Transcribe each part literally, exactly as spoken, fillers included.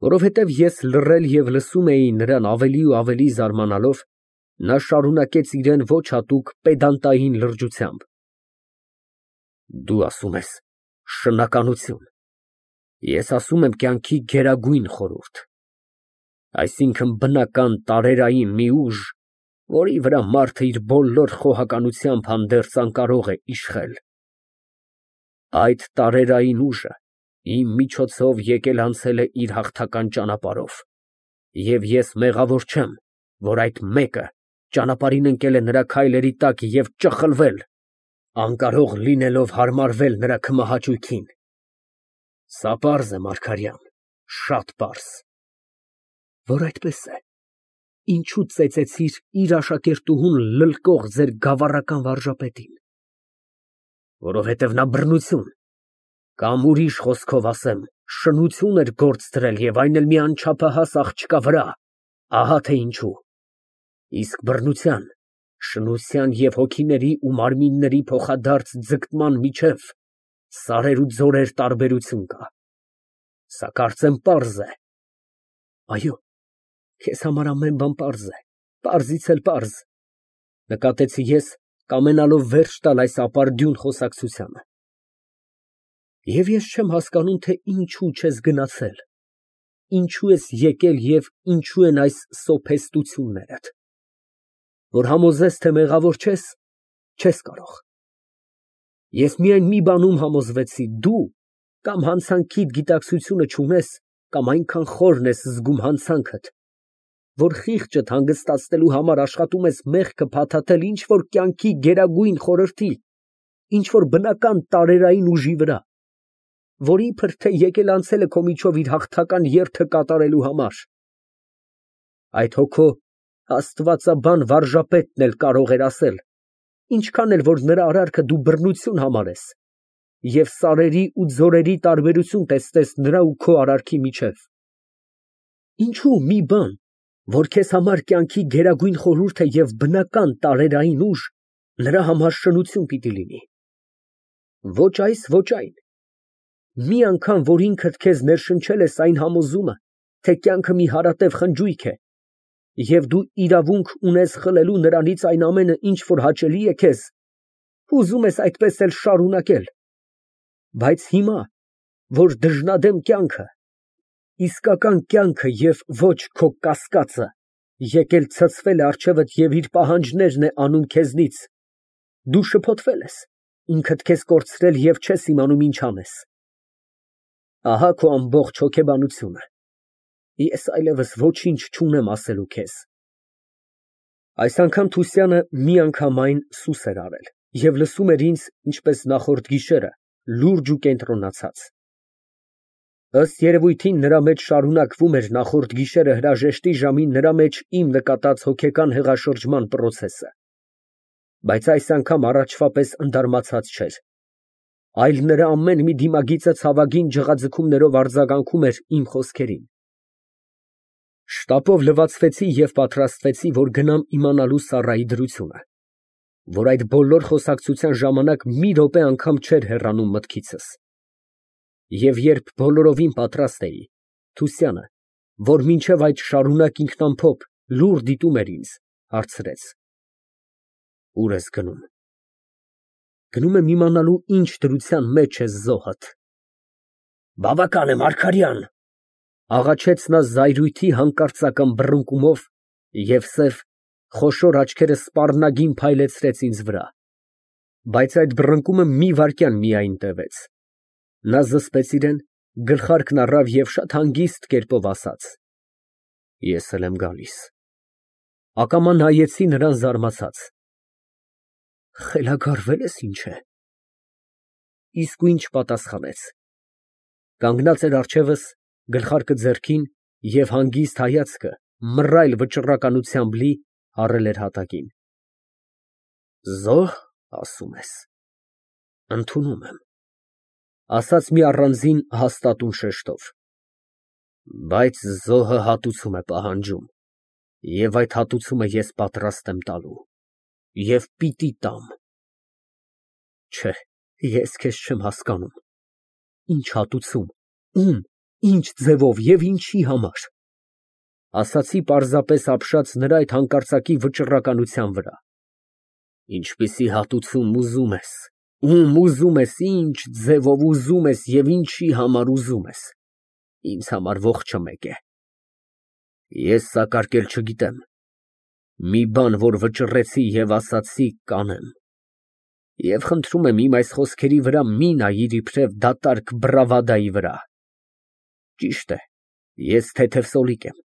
Որովհետև ես լռել և լսում էի նրան ավելի ու ավելի զարմանալով, նա շարունակեց իրեն ոչ հատուկ պեդանտային լրջությամբ. Դու ասում ես շնականություն, ես ասում եմ կյանքի գերագույն խորհուրդ, այսինքն բնական տարերային մի ուժ, որի վրա մարդը իր բոլոր խոհականությամբ հանդերձ անկարող է իշխել։ Այդ տարերային ուժը իմ միջոցով եկել֊անցել է իր հաղթական ճանապարհով, և ես մեղավոր չեմ, որ այդ մեկը ճանապարհին ընկել է նրա քայլերի տակ և ճխլվել, անկարող լինելով հարմարվել նրա քմահաճույքին։ Սա պարզ է, Մարգարյան, շատ պարզ։ Որ այդպես է, ինչո՞ւ ծեծեցիր իր աշակերտուհուն լլկող ձեր գավառական վարժապետին։ Որովհետև նա բռնություն, կամ ուրիշ խոսքով ասեմ, շնություն էր գործ դրել և այն էլ մի անչափահաս աղջկա վրա, ահա թե ինչու։ Իսկ բռնության, շնության և հոգիների ու մարմինների փոխադարձ ձգտման միջև սարեր ու ձորեր տարբերություն կա։ Սա կարծեմ պարզ է։ Այո, քեզ համար ամեն բան պարզ է, պարզից էլ պարզ, նկատեցի ես, կամենալով վերջ տալ այս ապարդյուն խոսակցությանը։ Եվ ես չեմ հասկանում, թե ինչու չես գնացել, ինչու ես եկել և ինչու են այս սոփեստություններդ։ Որ համոզես, թե մեղավոր չես, չես կարող։ Ես միայն մի բանում համոզվեցի, դու կամ հանցանքիդ գիտակցությունը չունես, կամ այնքան խորն ես զգում հանցանքդ, որ խիղճդ հանգստացնելու համար աշխատում ես մեղքը փաթաթել ինչ֊որ կյանքի գերագույն խորհրդի, ինչ֊որ բնական տարերային ուժի վրա, որ իբր թե եկել֊անցել է քո միջով իր հաղթական երթը կատարելու համար։ Այդ հոգ քո աստվածաբան վարժապետն էլ կարող էր ասել, ինչքան էլ որ նրա արարքը դու բռնություն համարես և սարերի ու ձորերի տարբերություն տեսնես նրա ու քո արարքի միջև։ Ինչո՞ւ մի բան, որ քեզ համար կյանքի գերագույն խորհուրդ է և բնական տարերային ուժ, նրա համար շնություն պիտի լինի։ Ոչ այս, ոչ այն։ Մի անգամ, որ ինքդ քեզ ներշնչել ես այն համոզումը, թե կյանքը մի հարատև խնջույք է, և դու իրավունք ունես խլելու նրանից այն ամենը, ինչ որ հաճելի է քեզ, ուզում ես այդպես էլ շարունակել։ Բայց հիմա, որ դժնադեմ կյանքը, իսկական կյանքը և ոչ քո կասկածը եկել ցցվել է առջևդ և իր պահանջներն է անում քեզնից, դու շփոթվել ես, ինքդ քեզ կորցրել և չես իմանում ինչ անես։ Ահա քո ամբողջ հոգեբանությունը։ Ես այլևս ոչինչ չունեմ ասելու քեզ։ Այս անգամ Թուսյանը միանգամայն սուս էր արել և լսում էր ինձ, ինչպես նախորդ գիշերը, լուրջ ու կենտրոնացած։ Ըստ երևույթին, նրա մեջ շարունակվում էր նախորդ գիշերը հրաժեշտի ժամին նրա մեջ իմ նկատած հոգեկան հեղաշրջման պրոցեսը, բայց այս անգամ առաջվա պես ընդարմացած չէր, այլ նրա ամեն մի դիմագիծը ցավագին ջղաձգումներով արձագանքում էր իմ խոսքերին։ Շտապով լվացվեցի և պատրաստվեցի, որ գնամ իմանալու Սառայի դրությունը, որ այդ բոլոր խոսակցության ժամանակ մի րոպե անգամ չէր հեռանում մտքիցս։ Եվ երբ բոլորովին պատրաստ էի, Թուսյանը, որ մինչև այդ շարունակ ինքնամփոփ լուռ դիտում էր ինձ, հարցրեց. Ո՞ւր ես գնում։ Գնում եմ իմանալու ինչ դրության մեջ է զոհդ։ Բավական է, Մարգարյան, աղաչեց նա զայրույթի հանկարծական բռնկումով և սև, խոշոր աչքերը սպառնագին փայլեցրեց ինձ վրա, բայց այդ բռնկումը մի վայրկյան միայն տևեց։ Նա զսպեց իրեն, գլխարկն առավ և շատ հանգիստ կերպով ասաց. Ես էլ եմ գալիս։ Ակամա նայեցի նրան զարմացած։ Խելագարվե՞լ ես, ինչ է։ Իսկույն չպատասխանեց։ Կանգնած էր առջևս, գլխարկը ձեռքին և հանգիստ հայացքը մռայլ վճռականությամբ լի առել էր հատակին։ Զո՞հ, ասում ես։ Ընդունում եմ, ասաց մի առանձին հաստատուն շեշտով։ Բայց զոհը հատուցում է պահանջում, և այդ հատուցումը ես պատրաստ եմ տալու և պիտի տամ։ Չէ, ես քեզ չեմ հասկանում։ Ինչ հատուցում, ում, Ինչ ձևով և ինչի համար։ Ասացի պարզապես ապշած նրա այդ հանկարծակի վճռականության վրա։ Ինչպիսի հատուցում ուզում ես, ում ուզում ես, ինչ ձևով ուզում ես և ինչի համար ուզում ես, ինձ համար ողջը մեկ է։ Ես սակարկել չգիտեմ, մի բան, որ վճռեցի և ասացի, կանեմ։ Եվ խնդրում եմ իմ այս խոսքերի վրա մի նայիր իբրև դատարկ բռավադայի վրա։ Ճիշտ է, ես թեթև սոլիկ եմ,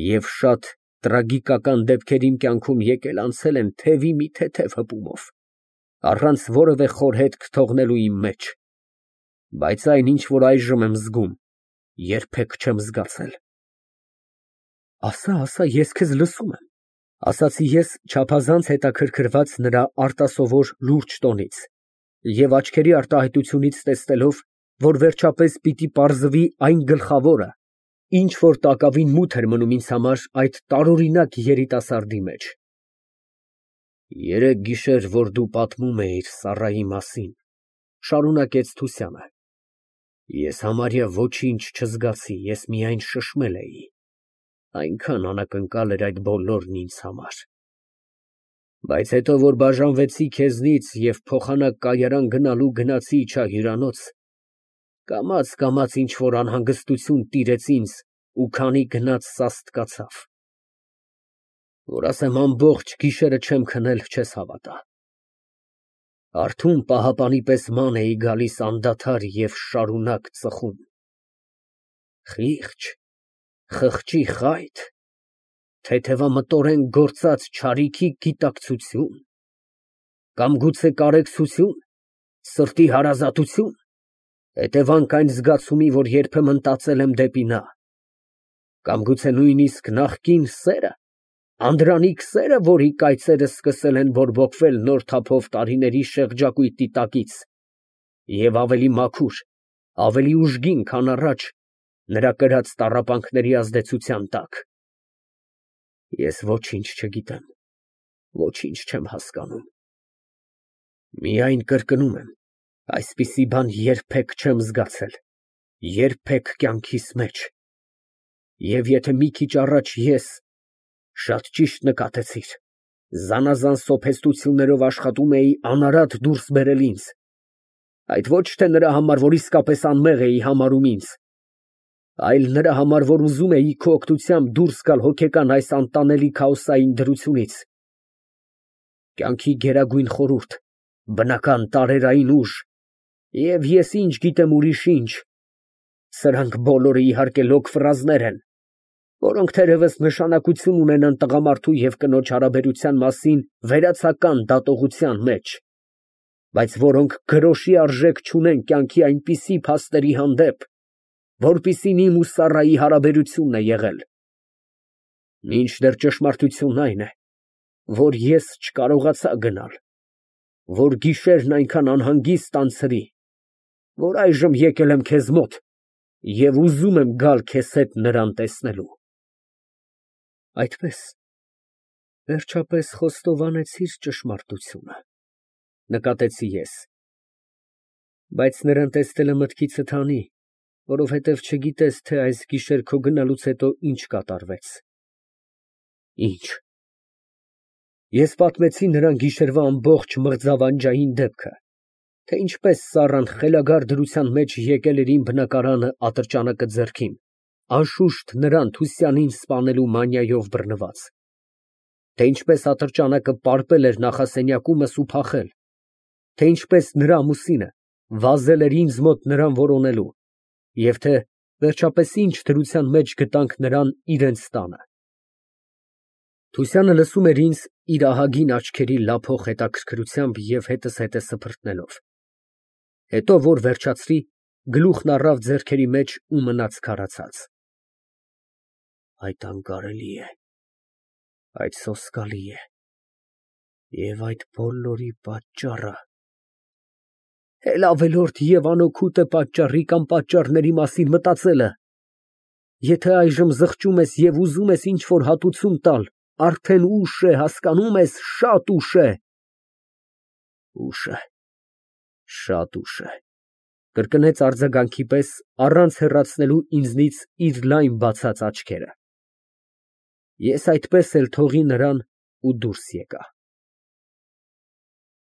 և շատ տրագիկական դեպքեր իմ կյանքում եկել֊անցել են թևի մի թեթև հպումով, առանց որևէ խորհետք թողնելու իմ մեջ, բայց այն, ինչ որ այժմ եմ զգում, երբեք չեմ զգացել։ Ասա, ասա, ես քեզ լսում եմ, ասացի ես չափազանց հետաքրքրված նրա արտասովոր լուրջ տոնից և աչքերի արտահայտությունից տեսնելով, որ վերջապես պիտի պարզվի այն գլխավորը, ինչ որ տակավին մութ էր մնում ինձ համար այդ տարօրինակ երիտասարդի մեջ։ Երեկ գիշեր, որ դու պատմում էիր Սառայի մասին, շարունակեց Թուսյանը, ես համարյա ոչինչ չզգացի, ես միայն շշմել էի, այնքան անակնկալ էր այդ բոլորն ինձ համար։ Բայց հետո, որ բաժանվեցի քեզնից և փոխանակ կայարան գնալու գնացի իջա հյուրանոց, կամաց֊կամաց ինչ֊որ անհանգստություն տիրեց ինձ ու քանի գնաց սաստկացավ, որ ասեմ ամբողջ գիշերը չեմ քնել, չես հավատա։ Արթուն պահապանի պես ման էի գալիս անդադար և շարունակ ծխում։ Խի՞ղճ, խղճի խա՞յթ, թեթևամտորեն գործած չարիքի գիտակցությո՞ւն, կամ գուցե կարեկցությո՞ւն, սրտի հարազատությո՞ւն, հետևանք այն զգացումի, որ երբեմն տածել եմ դեպի նա, կամ գուցե նույնիսկ նախկին սե՞րը, անդրանիկ սերը, որի կայծերը սկսել են բորբոքվել նոր թափով տարիների շեղջակույտի տակից և ավելի մաքուր, ավելի ուժգին, քան առաջ, նրա կրած տառապանքների ազդեցության տակ։ Ես ոչինչ չգիտեմ, ոչինչ չեմ հասկանում։ Միայն կրկնում եմ, այսպիսի բան երբեք չեմ զգացել, երբեք կյանքիս մեջ, և եթե մի քիչ առաջ ես, շատ ճիշտ նկատեցիր, զանազան սոփեստություններով աշխատում էի անարատ դուրս բերել ինձ, այդ ոչ թե նրա համար, որ իսկապես անմեղ էի համարում ինձ, այլ նրա համար, որ ուզում էի քո օգնությամբ դուրս գալ հոգեկան այս անտանելի քաոսային դրությունից։ Կյանքի գերագույն խորհուրդ, բնական տարերային ուժ, և ես ինչ գիտեմ ուրիշ ինչ, սրանք բոլորը իհարկե լոկ ֆրազներ են, որոնք թերևս նշանակություն ունենան տղամարդու և կնոջ հարաբերության մասին վերացական դատողության մեջ, բայց որոնք գրոշի արժեք չունեն կյանքի այնպիսի փաստերի հանդեպ, որպիսին իմ ու Սառայի հարաբերությունն է եղել։ Մինչդեռ ճշմարտությունն այն է, որ ես չկարողացա գնալ, որ գիշերն այնքան անհանգիստ անցրի, որ այժմ եկել եմ քեզ մոտ և ուզում եմ գալ քեզ հետ նրան տեսնելու։ Այդպե՞ս, վերջապես խոստովանեցիր ճշմարտությունը, նկատեցի ես, բայց նրան տեսնելը մտքիցդ հանի, որովհետև չգիտես, թե այս գիշեր քո գնալուց հետո ինչ կատարվեց։ Ինչ։ Ես պատմեցի նրան գիշերվա ամբողջ մղձավանջային դեպքը, թե ինչպես Սառան խելագար դրության մեջ եկել էր իմ բնակարանը ատրճանակը ձեռքին, անշուշտ նրան Թուսյանին սպանելու մանիայով բռնված, թե ինչպես ատրճանակը պարպել էր նախասենյակումս ու փախել, թե ինչպես նրա ամուսինը վազել էր ինձ մոտ նրան որոնելու, և թե վերջապես ինչ դրության մեջ գտանք նրան իրենց տանը։ Թուսյանը լսում էր ինձ իր ահագին աչքերի լափող հետաքրքրությամբ և հետզհետե սփռտնելով, հետո որ վերջացրի, գլուխն առավ ձեռքերի մեջ ու մնաց քարացած։ Այդ անկարելի է, այդ սոսկալի է, և այդ բոլորի պատճառը… Էլ ավելորդ և անօգուտ է պատճառի կամ պատճառների մասին մտածելը։ Եթե այժմ զղջում ես և ուզում ես ինչ֊որ հատուցում տալ, արդեն ուշ է, հասկանում ես, շատ ուշ է։ Ուշ է, շատ ուշ է։ Կրկնեց արձագանքի պես, առանց հեռացնելու ինձնից իր լայն բացած աչքերը։ Ես այդպես էլ թողի նրան ու դուրս եկա։